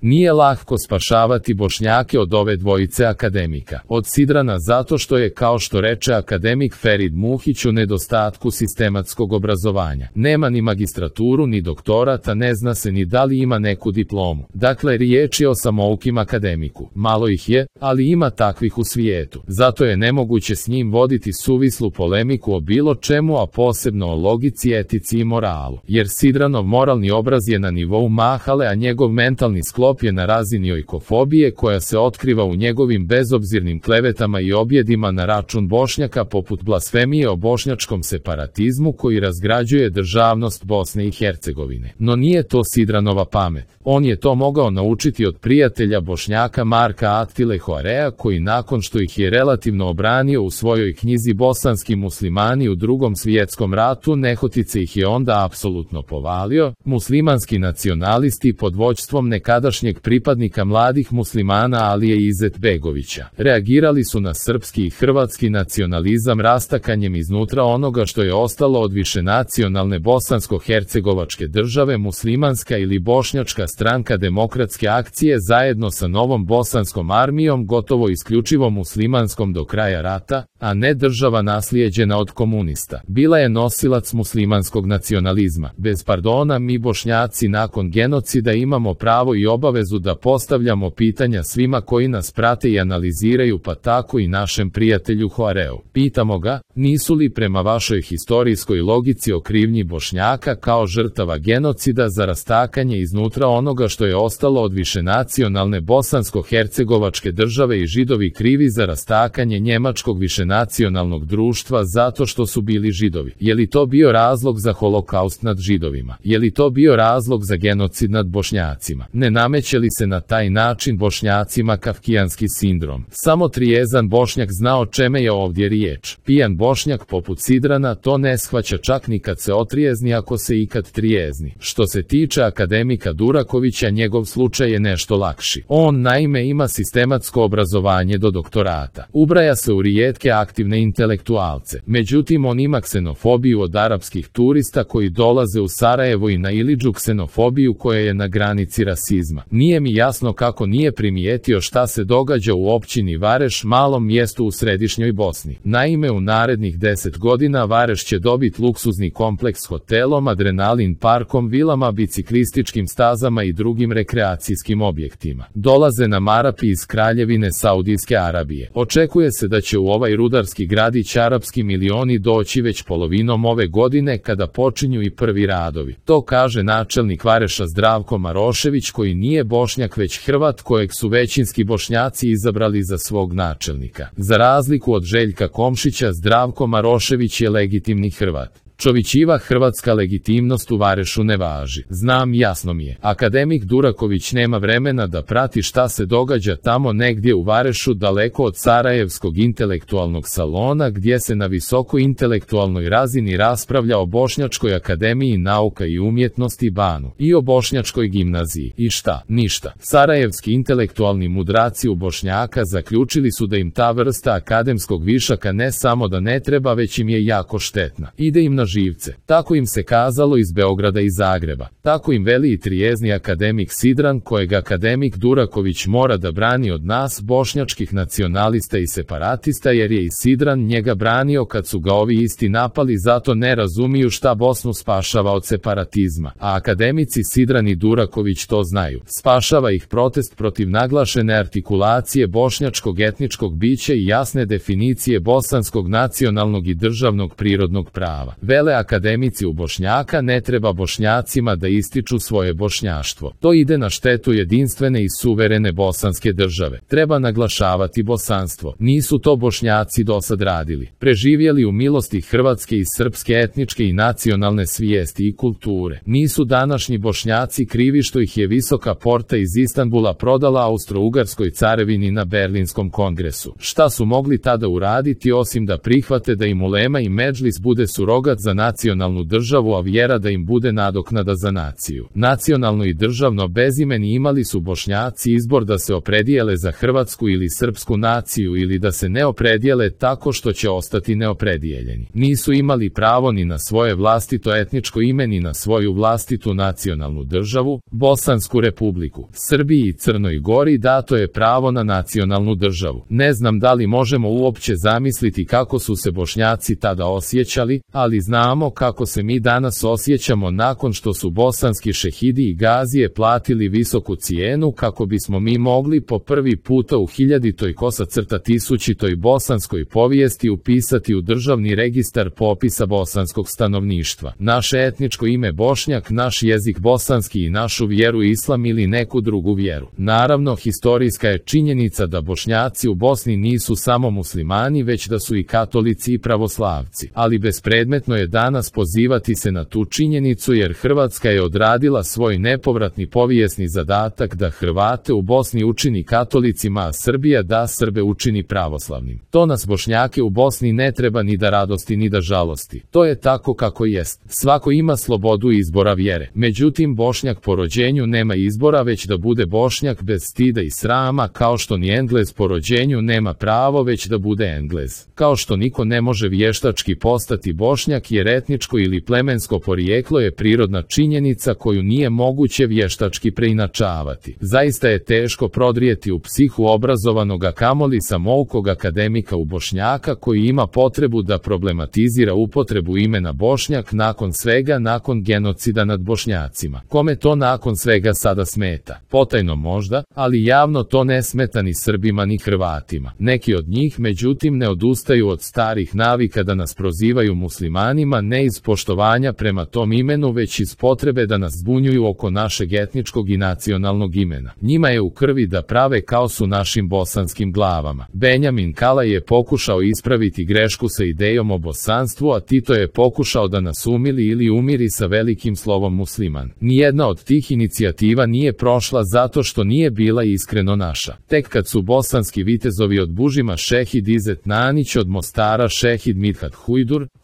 Nije lako spašavati Bošnjake od ove dvojice akademika. Od Sidrana zato što je, kao što reče akademik Ferid Muhić, u nedostatku sistematskog obrazovanja. Nema ni magistraturu ni doktorata, ne zna se ni da li ima neku diplomu. Dakle, riječ je o samoukim akademiku. Malo ih je, ali ima takvih u svijetu. Zato je nemoguće s njim voditi suvislu polemiku o bilo čemu, a posebno o logici, etici i moralu. Jer Sidranov moralni obraz je na nivou mahale, a njegov mentalni sklop je na razini ojkofobije koja se otkriva u njegovim bezobzirnim klevetama i objedima na račun Bošnjaka, poput blasfemije o bošnjačkom separatizmu koji razgrađuje državnost Bosne i Hercegovine. No nije to Sidranova pamet. On je to mogao naučiti od prijatelja Bošnjaka Marka Attile Hoarea, koji nakon što ih je relativno obranio u svojoj knjizi Bosanski muslimani u Drugom svjetskom ratu, nehotice ih je onda apsolutno povalio. Muslimanski nacionalisti pod vođstvom nekadašnjeg pripadnika mladih muslimana Alije Izetbegovića reagirali su na srpski i hrvatski nacionalizam rastakanjem iznutra onoga što je ostalo od višenacionalne bosansko-hercegovačke države. Muslimanska ili bošnjačka stranka Demokratske akcije zajedno sa novom bosanskom armijom, gotovo isključivo muslimanskom do kraja rata, a ne država naslijeđena od komunista, bila je nosilac muslimanskog nacionalizma. Bez pardona, mi Bošnjaci nakon genocida imamo pravo i obavezu da postavljamo pitanja svima koji nas prate i analiziraju, pa tako i našem prijatelju Hoareu. Pitamo ga, nisu li prema vašoj historijskoj logici o krivnji Bošnjaka kao žrtava genocida za rastakanje iznutra onoga što je ostalo od višenacionalne bosansko-hercegovačke države i Židovi krivi za rastakanje njemačkog višenacionalnog društva zato što su bili Židovi? Je li to bio razlog za holokaust nad Židovima? Je li to bio razlog za genocid nad Bošnjacima? Ne nameće li se na taj način Bošnjacima kafkijanski sindrom? Samo trijezan Bošnjak zna o čeme je ovdje riječ. Pijan Bošnjak poput Sidrana to ne shvaća čak ni kad se otrijezni, ako se ikad trijezni. Što se tiče akademika Durakovića, njegov slučaj je nešto lakši. On naime ima sistematsko obrazovanje do doktorata. Ubraja se u rijetke aktivne intelektualce. Međutim, on ima ksenofobiju od arapskih turista koji dolaze u Sarajevo i na Ilidžu, ksenofobiju koja je na granici rasizma. Nije mi jasno kako nije primijetio šta se događa u općini Vareš, malom mjestu u središnjoj Bosni. Naime, u narednih 10 godina Vareš će dobiti luksuzni kompleks s hotelom, adrenalin parkom, vilama, biciklističkim stazama i drugim rekreacijskim objektima. Dolaze nam Arapi iz Kraljevine Saudijske Arabije. Očekuje se da će u ovaj rudarski gradić arapski milioni doći već polovinom ove godine, kada počinju i prvi radovi. To kaže načelnik Vareša Zdravko Marošević, koji nije Bošnjak već Hrvat kojeg su većinski Bošnjaci izabrali za svog načelnika. Za razliku od Željka Komšića, Zdravko Marošević je legitimni Hrvat. Čovićiva hrvatska legitimnost u Varešu ne važi. Znam, jasno mi je. Akademik Duraković nema vremena da prati šta se događa tamo negdje u Varešu, daleko od Sarajevskog intelektualnog salona, gdje se na visoko intelektualnoj razini raspravlja o Bošnjačkoj akademiji nauka i umjetnosti Banu i o Bošnjačkoj gimnaziji. I šta? Ništa. Sarajevski intelektualni mudraci u Bošnjaka zaključili su da im ta vrsta akademskog višaka ne samo da ne treba, već im je jako štetna. Ide im na živce. Tako im se kazalo iz Beograda i Zagreba. Tako im veli i trijezni akademik Sidran, kojeg akademik Duraković mora da brani od nas, bošnjačkih nacionalista i separatista, jer je i Sidran njega branio kad su ga ovi isti napali, zato ne razumiju šta Bosnu spašava od separatizma. A akademici Sidran i Duraković to znaju. Spašava ih protest protiv naglašene artikulacije bošnjačkog etničkog bića i jasne definicije bosanskog nacionalnog i državnog prirodnog prava. Vele akademici u Bošnjaka, ne treba Bošnjacima da ističu svoje bošnjaštvo. To ide na štetu jedinstvene i suverene bosanske države. Treba naglašavati bosanstvo. Nisu to Bošnjaci dosad radili. Preživjeli u milosti hrvatske i srpske etničke i nacionalne svijesti i kulture. Nisu današnji Bošnjaci krivi što ih je Visoka porta iz Istanbula prodala Austro-Ugarskoj carevini na Berlinskom kongresu. Šta su mogli tada uraditi osim da prihvate da im ulema i medžlis bude surogat za nacionalnu državu, a vjera da im bude nadoknada za naciju. Nacionalno i državno bezimeni imali su Bošnjaci izbor da se opredijele za hrvatsku ili srpsku naciju ili da se ne opredijele tako što će ostati neopredijeljeni. Nisu imali pravo ni na svoje vlastito etničko ime ni na svoju vlastitu nacionalnu državu. Bosansku republiku, Srbiji i Crnoj Gori dato je pravo na nacionalnu državu. Ne znam da li možemo uopće zamisliti kako su se Bošnjaci tada osjećali, ali znamo kako se mi danas osjećamo nakon što su bosanski šehidi i gazije platili visoku cijenu kako bismo mi mogli po prvi puta u 1000-1000 bosanskoj povijesti upisati u državni registar popisa bosanskog stanovništva naše etničko ime Bošnjak, naš jezik bosanski i našu vjeru islam ili neku drugu vjeru. Naravno, historijska je činjenica da Bošnjaci u Bosni nisu samo muslimani, već da su i katolici i pravoslavci. Ali bespredmetno je danas pozivati se na tu činjenicu jer Hrvatska je odradila svoj nepovratni povijesni zadatak da Hrvate u Bosni učini katolicima, a Srbija da Srbe učini pravoslavnim. To nas Bošnjake u Bosni ne treba ni da radosti ni da žalosti. To je tako kako jest. Svako ima slobodu izbora vjere. Međutim, Bošnjak po rođenju nema izbora, već da bude Bošnjak bez stida i srama, kao što ni Englez po rođenju nema pravo već da bude Englez. Kao što niko ne može vještački postati Bošnjak jer etničko ili plemensko porijeklo je prirodna činjenica koju nije moguće vještački preinačavati. Zaista je teško prodrijeti u psihu obrazovanog, a kamoli samoukog akademika u Bošnjaka koji ima potrebu da problematizira upotrebu imena Bošnjak nakon svega, nakon genocida nad Bošnjacima. Kome to nakon svega sada smeta? Potajno možda, ali javno to ne smeta ni Srbima ni Hrvatima. Neki od njih međutim ne odustaju od starih navika da nas prozivaju muslimanima, ne iz poštovanja prema tom imenu, već iz potrebe da nas zbunjuju oko našeg etničkog i nacionalnog imena. Njima je u krvi da prave kaos u našim bosanskim glavama. Benjamin Kalaj je pokušao ispraviti grešku sa idejom o bosanstvu, a Tito je pokušao da nas umili ili umiri sa velikim slovom musliman. Nijedna od tih inicijativa nije prošla zato što nije bila iskreno naša. Tek kad su bosanski vitezovi od Bužima šehid Izet Nanić, od Mostara šehid Midhat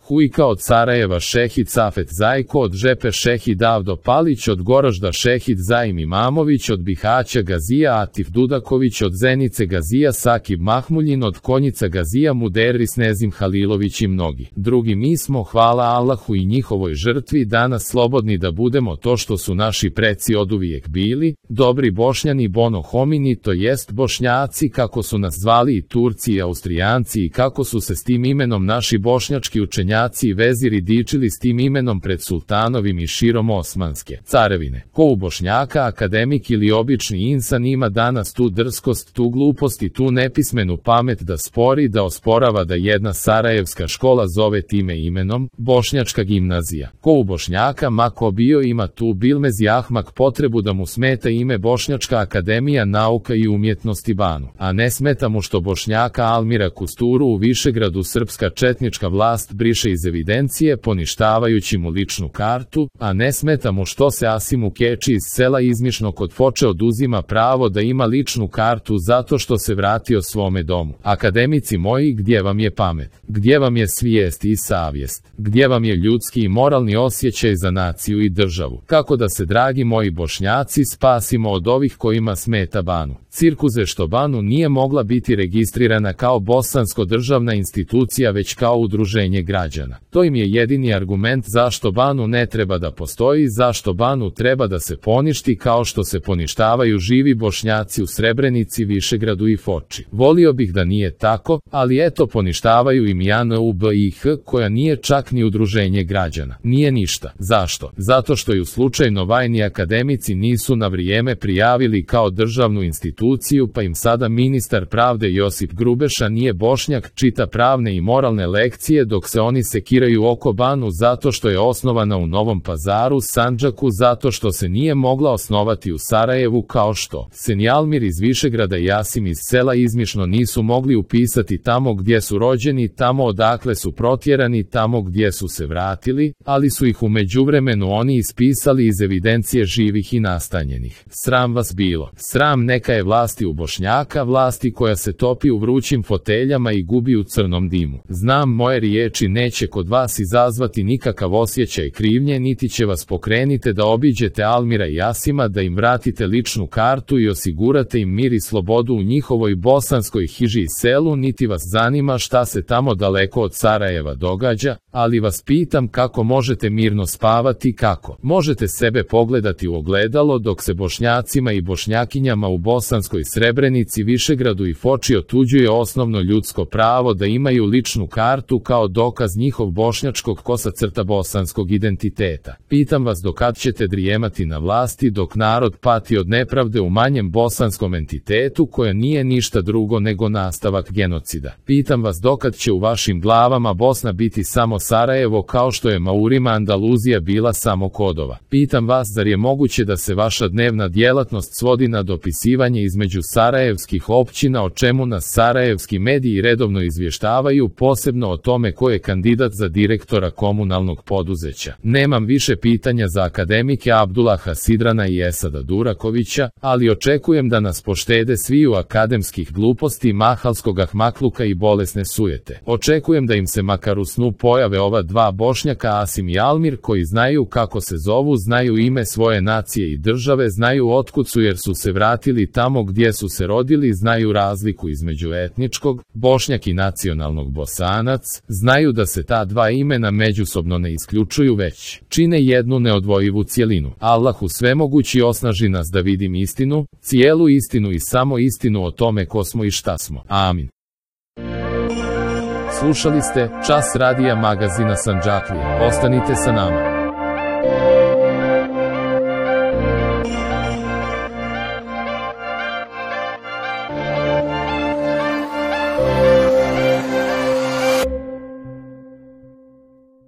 Hujka, od Sarajeva šehid Safet Zajko, od Žepe šehid Avdo Palić, od Goražda šehid Zaim Imamović, od Bihaća Gazija Atif Dudaković, od Zenice Gazija Sakib Mahmuljin, od Konjica Gazija Muderis Nezim Halilović i mnogi drugi. Mi smo, hvala Allahu i njihovoj žrtvi, danas slobodni da budemo to što su naši preci oduvijek bili, dobri Bošnjani, bono homini, to jest Bošnjaci kako su nas zvali i Turci i Austrijanci, i kako su se s tim imenom naši bošnjački učenjaci i veziri dičili s tim imenom pred sultanovim i širom Osmanske carevine. Ko u Bošnjaka, akademik ili obični insan, ima danas tu drskost, tu glupost i tu nepismenu pamet da spori, da osporava da jedna sarajevska škola zove time imenom Bošnjačka gimnazija? Ko u Bošnjaka, ma ko bio, ima tu bilmezi ahmak potrebu da mu smeta ime Bošnjačka akademija nauka i umjetnosti Banu, a ne smeta mu što Bošnjaka Almira Kusturu u Višegradu srpska četnička vlast briše iz evidencije poništavajući mu ličnu kartu, a ne smeta mu što se Asimu Keči iz sela Izmišno kod Foče oduzima pravo da ima ličnu kartu zato što se vratio svome domu. Akademici moji, gdje vam je pamet? Gdje vam je svijest i savjest? Gdje vam je ljudski i moralni osjećaj za naciju i državu? Kako da se, dragi moji Bošnjaci, spasimo od ovih kojima smeta Banu? Cirkuze što Banu nije mogla biti registrirana kao bosansko državna institucija već kao udruženje građana. To im je jedini argument zašto Banu ne treba da postoji, zašto Banu treba da se poništi kao što se poništavaju živi Bošnjaci u Srebrenici, Višegradu i Foči. Volio bih da nije tako, ali eto, poništavaju im JNUBIH koja nije čak ni udruženje građana. Nije ništa. Zašto? Zato što ju slučajno vajni akademici nisu na vrijeme prijavili kao državnu instituciju, pa im sada ministar pravde Josip Grubeša nije Bošnjak, čita pravne i moralne lekcije dok se oni sekiraju oko Banu zato što je osnovana u Novom Pazaru, Sandžaku, zato što se nije mogla osnovati u Sarajevu, kao što se ni Almir iz Višegrada i Jasim iz sela Izmišno nisu mogli upisati tamo gdje su rođeni, tamo odakle su protjerani, tamo gdje su se vratili, ali su ih u međuvremenu oni ispisali iz evidencije živih i nastanjenih. Sram vas bilo. Sram neka je vlasti u Bošnjaka, vlasti koja se topi u vrućim foteljama i gubi u crnom dimu. Znam, moje riječi neće neće kod vas izazvati nikakav osjećaj krivnje, niti će vas pokrenite da obiđete Almira i Jasima, da im vratite ličnu kartu i osigurate im mir i slobodu u njihovoj bosanskoj hiži i selu, niti vas zanima šta se tamo daleko od Sarajeva događa, ali vas pitam kako možete mirno spavati, kako možete sebe pogledati u ogledalo dok se Bošnjacima i Bošnjakinjama u bosanskoj Srebrenici, Višegradu i Foči otuđuje osnovno ljudsko pravo da imaju ličnu kartu kao dokaz njihov bošnjačkog bosanskog identiteta. Pitam vas dokad ćete drijemati na vlasti dok narod pati od nepravde u manjem bosanskom entitetu koja nije ništa drugo nego nastavak genocida. Pitam vas dokad će u vašim glavama Bosna biti samo Sarajevo kao što je Maurima Andaluzija bila samo Kodova. Pitam vas zar je moguće da se vaša dnevna djelatnost svodi na dopisivanje između sarajevskih općina o čemu nas sarajevski mediji redovno izvještavaju, posebno o tome ko je kandidat za direktora komunalnog poduzeća. Nemam više pitanja za akademike Abdullaha Sidrana i Esada Durakovića, ali očekujem da nas poštede sviju akademskih gluposti, mahalskog ahmakluka i bolesne sujete. Očekujem da im se makar u snu pojave ova dva Bošnjaka Asim i Almir koji znaju kako se zovu, znaju ime svoje nacije i države, znaju otkud su jer su se vratili tamo gdje su se rodili, znaju razliku između etničkog Bošnjak i nacionalnog Bosanac, znaju da se ta dva imena međusobno ne isključuju već čine jednu neodvojivu cjelinu. Allahu svemogući osnaži nas da vidim istinu, cijelu istinu i samo istinu o tome ko smo i šta smo. Amin. Slušali ste Čas radija magazina Sandžaklije. Ostanite sa nama.